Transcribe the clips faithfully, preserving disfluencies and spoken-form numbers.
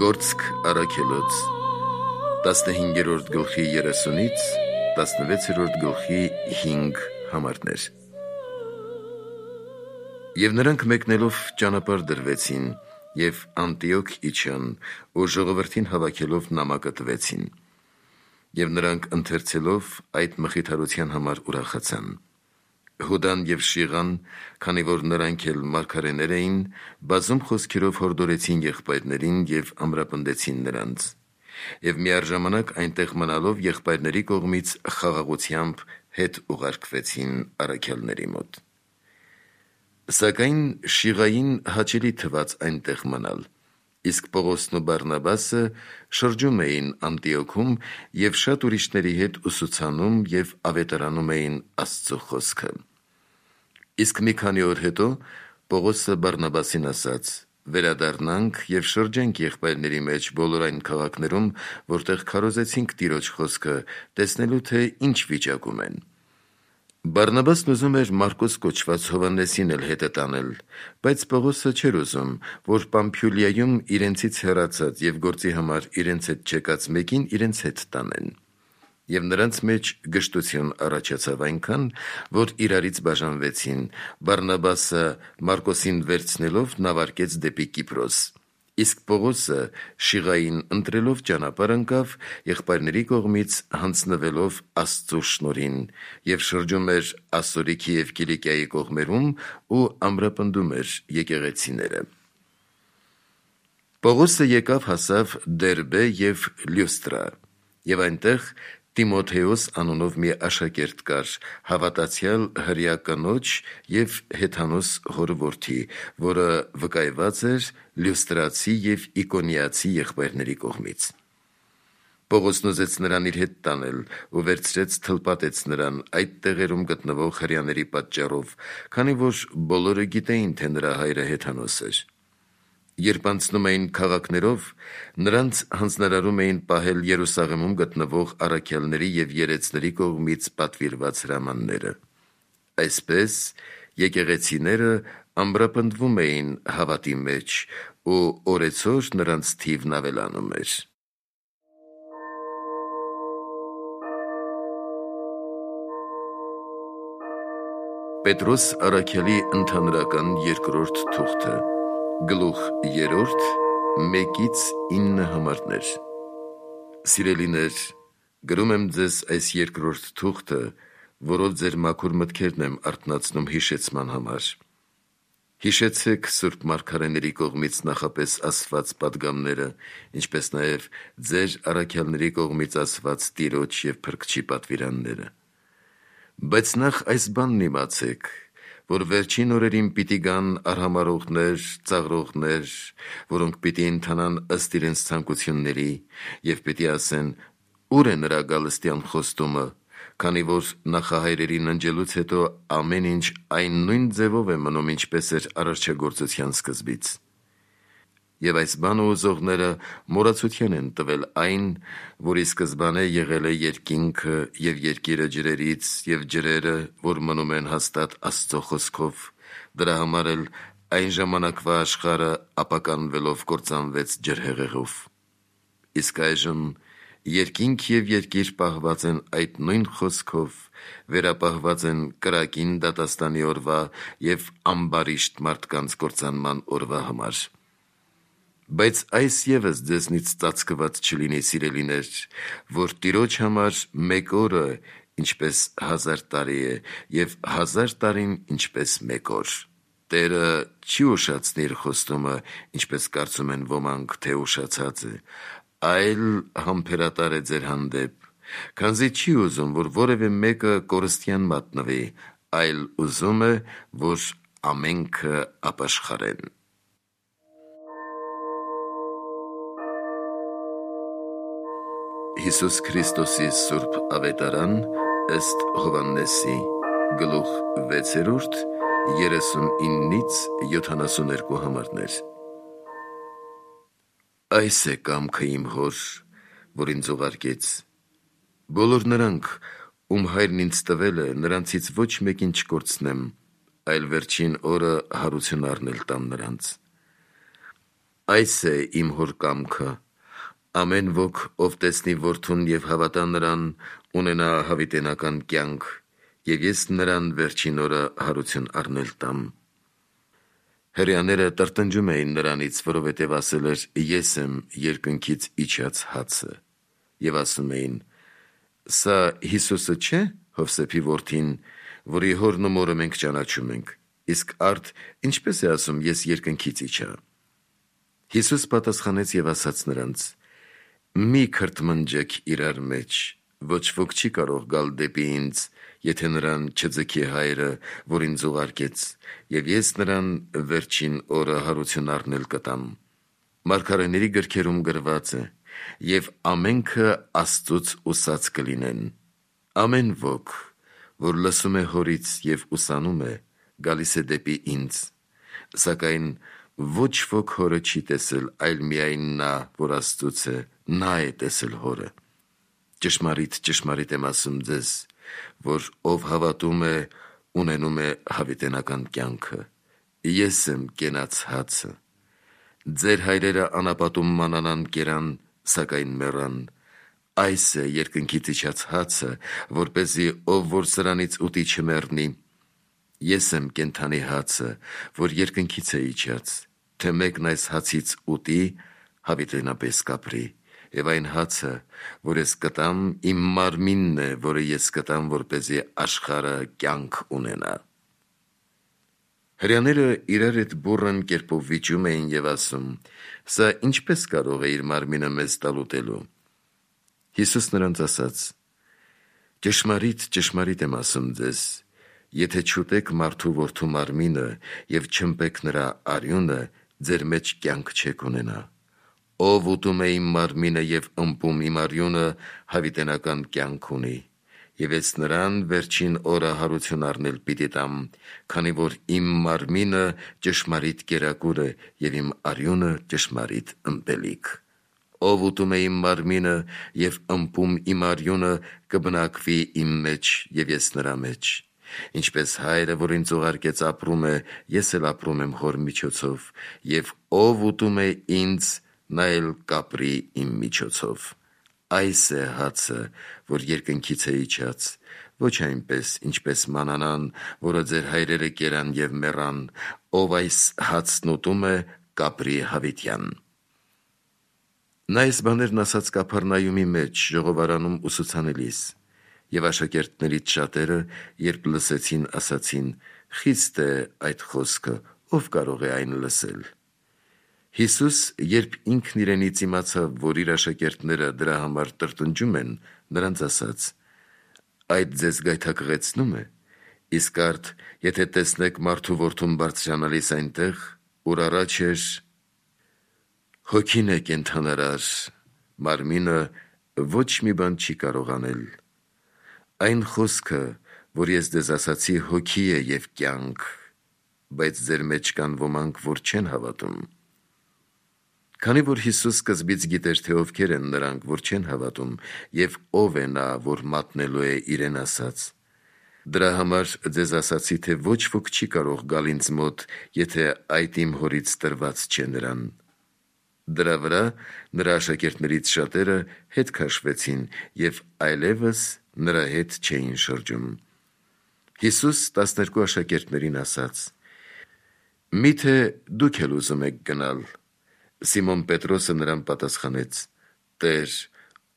Գործք առաքելոց տասնհինգերորդ գլխի երեսունից տասնվեցերորդ գլխի հինգ համարներ։ Եվ նրանք մեկնելով ճանապարհ դրվեցին և Անտիոք իջան ու ժողովրդին հավաքելով նամակը տվեցին։ Եվ նրանք ընթերցելով այդ մխիթարության համար ուրախացան։ Հուդան և Շիղան, քանի որ նրանք էլ մարգարեներ էին, բազում խոսքերով հորդորեցին եղբայրներին և ամրապնդեցին նրանց։ Եվ միառժամանակ այնտեղ մնալով եղբայրների կողմից խաղաղությամբ հետ ուղարկվեցին առաքյալների մոտ։ Սակայն Շիղային հաճելի թվաց այնտեղ մնալ, իսկ Պողոսն ու Բարնաբասը շրջում էին Անտիոքում և շատ ուրիշների հետ ուսուցանում և ավետարանում էին Աստծու խոսքը։ Իսկ մի քանի օր հետո Պողոսը Բարնաբասին ասաց. «Վերադառնանք և շրջենք եղբայրների մեջ բոլոր այն քաղաքներում, որտեղ քարոզեցինք Տիրոջ խոսքը, տեսնելու թե ինչ վիճակում են»։ Բարնաբասն ուզում էր Մարկոս կոչված Հովհաննեսին էլ հետը տանել, բայց Պողոսը չէր ուզում, որ Պամփիուլիայում իրենցից հեռացած և գործի համար իրենց հետ չեկած մեկին իրենց հետ տանեն։ Եվ նրանց մեջ գժտություն առաջացավ այնքան, որ իրարից բաժանվեցին, Բարնաբասը Մարկոսին վերցնելով նավարկեց դեպի Կիպրոս, իսկ Պողոսը Շիղային ընտրելով ճանապարհ ընկավ եղբայրների կողմից հանձնվելով Աստծու շնորհին և շրջում էր Ասորիքի և Կիլիկիայի կողմերում ու ամրապնդում էր եկեղեցիները։ Պողոսը եկավ հասավ Դերբե և Լյուստրա, և այնտեղ Տիմոթեոս անունով մի աշակերտ կար, հավատացյալ հրեա կնոջ և հեթանոս հոր որդի, որը վկայված էր լյուստրացի և իկոնիացի եղբայրների կողմից։ Պողոսն ուզեց նրան իր հետ տանել ու վերցրեց թլպատեց նրան այդ տեղերում գտնվող հրեաների պատճառով, քանի որ բոլորը գիտեին, թե նրա հայրը հեթանոս էր։ Երբ անցնում էին քաղաքներով, նրանց հանձնարարում էին պահել Երուսաղեմում գտնվող առաքյալների և երեցների կողմից պատվիրված հրամանները։ Այսպես եկեղեցիները ամրապնդվում էին հավատի մեջ, ու օրեցօր նրանց թիվն ավելանում էր։ Պետրոս առաքյալի ընդհանրական երկրորդ թուղթը, գլուխ երրորդ, մեկից ինը համարներ։ Սիրելիներ, գրում եմ ձեզ այս երկրորդ թուղթը, որով ձեր մաքուր մտքերն եմ արթնացնում հիշեցման համար։ Հիշեցեք սուրբ մարգարեների կողմից նախապես ասված պատգամները, ինչպես նաև ձեր առաքյալների կողմից ասված Տիրոջ և Փրկչի պատվիրանները։ Բայց նախ այս բանն իմացեք, որ վերջին օրերին պիտի գան արհամարհողներ, ծաղրողներ, որոնք պիտի ընթանան ըստ իրենց ցանկությունների և պիտի ասեն. «Ո՞ւր է նրա գալստյան խոստումը, քանի որ նախահայրերի ննջելուց հետո ամեն ինչ այն նույն ձևով է մնում, ինչպես էր արարչագործության սկզբից»։ Եվ այս բանը ուզողները մոռացության են տվել այն, որ ի սկզբանե եղել է երկինքը և երկիրը ջրերից, և ջրերը, որ մնում են հաստատ Աստծու խոսքով, դրա համար էլ այն ժամանակվա աշխարհը ապականվելով կործանվեց ջրհեղեղով։ Իսկ այժմ երկինք և երկիր պահված են այդ նույն խոսքով, վերապահված են կրակին դատաստանի օրվա և ամբարիշտ մարդկանց կործանման օրվա համար։ Բայց այս ևս ձեզնից ծածկված չլինի, սիրելիներ, որ Տիրոջ համար մեկ օրը ինչպես հազար տարի է, և հազար տարին ինչպես մեկ օր։ Տերը չի ուշացնի իր խոստումը, ինչպես կարծում են ոմանք, թե ուշացած է, այլ համբերատար է ձեր հանդեպ, քանզի չի ուզում, որ որևէ մեկը կորստյան մատնվի, այլ ուզում է, որ ամենքը ապաշխարեն։ Հիսուս Քրիստոսի սուրբ ավետարան ըստ Հովհաննեսի, գլուխ վեցերորդ, երեսունինից յոթանասուներկու համարներ։ Այս է կամքը իմ Հոր, որ ինձ ուղարկեց. բոլոր նրանք, ում հայրն ինձ տվել է, նրանցից ոչ մեկին չկորցնեմ, այլ վերջին օրը հարություն առնել տամ նրանց։ Այս է իմ հոր կամքը. ամեն ոք, ով տեսնի որդուն և հավատա նրան, ունենա հավիտենական կյանք, և ես նրան վերջին օրը հարություն առնել տամ։ Հրեաները տրտնջում էին նրանից, որովհետև ասել էր. ես եմ երկնքից իջած հացը, և ասում էին. սա Հիսուսը չէ՞, Հովսեփի որդին, որի հորն ու մորը մենք ճանաչում ենք, իսկ արդ ինչպես է ասում. ես երկնքից իջա։ Հիսուս պատասխանեց և ասաց նրանց. մի քրթմնջեք իրար մեջ, ոչ ոք չի կարող գալ դեպի ինձ, եթե նրան չձգի հայրը, որ ինձ ուղարկեց, և ես նրան վերջին օրը հարություն առնել կտամ։ Մարգարեների գրքերում գրված է. և ամենքը Աստծուց ուսած կլինեն։ Ամեն ոք, որ լսում է հորից և ուսանում է, գալիս է դեպի ինձ, սակայն ոչ ոք հորը չի տեսել, այլ միայն նա, որ Աստծուց է, նա է տեսել հորը։ Ճշմարիտ, ճշմարիտ եմ ասում ձեզ, որ ով հավատում է, ունենում է հավիտենական կյանքը։ Ես եմ կենաց հացը։ Ձեր հայրերը անապատում մանանան կերան, սակայն մեռան։ Այս է երկնքից իջած հացը, որպեսզի ով որ սրանից ուտի չմեռնի։ Ես եմ կենդանի հացը, որ երկնքից է իջած, թե մեկն այս հացից ուտի, հավիտենապես կապրի, և այն հացը, որ ես կտամ, իմ մարմինն է, որը ես կտամ, որպեսզի աշխարհը կյանք ունենա։ Հրեաները իրար հետ բուռն կերպով վիճում էին և ասում. սա ինչպես կարող է իր մարմինը մեզ տալ ուտելու։ Հիսուս նրանց ասաց. ճշմարիտ, ճշմարիտ եմ ասում ձեզ, եթե չուտեք մարդու որդու մարմինը և չըմպեք նրա արյունը, ձեր մեջ կյանք չեք ունենա։ Ով ուտում է իմ մարմինը և ըմպում իմ արյունը, հավիտենական կյանք ունի, և ես նրան վերջին օրը հարություն առնել պիտի տամ, քանի որ իմ մարմինը ճշմարիտ կերակուր է և իմ արյունը ճշմարիտ ըմպելիք։ Ով ուտում է իմ մարմինը և ըմպում իմ արյունը, կբնակվի իմ մեջ և ես նրա մեջ։ Ինչպես հայրը, որ ինձ ուղարկեց, ապրում է, ես էլ ապրում եմ հոր միջոցով, և ով ուտում է ինձ, նա էլ կապրի իմ միջոցով։ Այս է հացը, որ երկնքից է իջած, ոչ այնպես, ինչպես մանանան, որը ձեր հայրերը կերան և մեռան, ով այս հացն ուտում է, կապրի հավիտյան։ Նա այս բաներն ասաց Կափառնայումի մեջ, ժողովարանում ուսուցանելիս, և աշակերտներից շատերը, երբ լսեցին, ասացին. խիստ է այդ խոսքը, ով կարող է այն լսել։ Հիսուս, երբ ինքն իրենից իմացավ, որ իր աշակերտները դրա համար տրտնջում են, նրանց ասաց. այդ ձեզ գայթակղեցնո՞ւմ է, իսկ արդ, եթե տեսնեք մարդու որդուն բարձրանալիս այնտեղ, ուր առաջ էր, հոգին է կենդանարար, մարմինը ոչ մի բան չի կարող անել։ Այն խոսքը, որ ես ձեզ ասացի, հոգի է և կյանք, բայց ձեր մեջ կան ոմանք, որ չեն հավատում։ Քանի որ Հիսուս սկզբից գիտեր, թե ովքեր են նրանք, որ չեն հավատում, և ով է նա, որ մատնելու է իրեն ասած, դրա համար ձեզ ասացի, թե ոչ ոք չի կարող գալ ինձ մոտ, եթե այդ իմ հորից տրված չէ նրան։ Դրա վրա նրա աշակերտներից շատերը հետ քաշվեցին և այլևս նրա հետ չէին շրջում։ Հիսուս տասներկու աշակերտներին ասաց. միթե դուք էլ ուզում եք գնալ։ Սիմոն Պետրոսը նրան պատասխանեց. Տեր,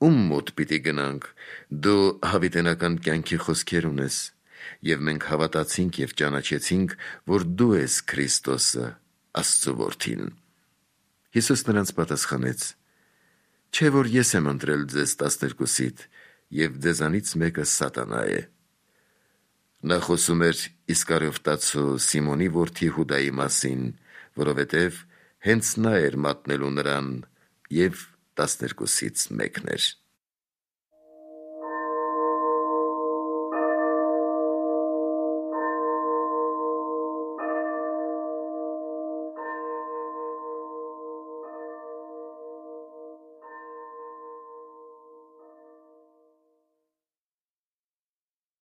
ում մոտ պիտի գնանք, դու հավիտենական կյանքի խոսքեր ունես, և մենք հավատացինք և ճանաչեցինք, որ դու ես Քրիստոսը, Աստծու որդին։ Հիսուս նրանց պատասխանեց. չէ՞ որ ես եմ ընտրել ձեզ տասներկուսիդ, և ձեզանից մեկը սատանա է։ Նա խոսում էր Իսկարիովտացու Սիմոնի որդի Հուդայի մասին, որովհետև հենց նա էր մատնելու նրան և տասներկուսից մեկն էր։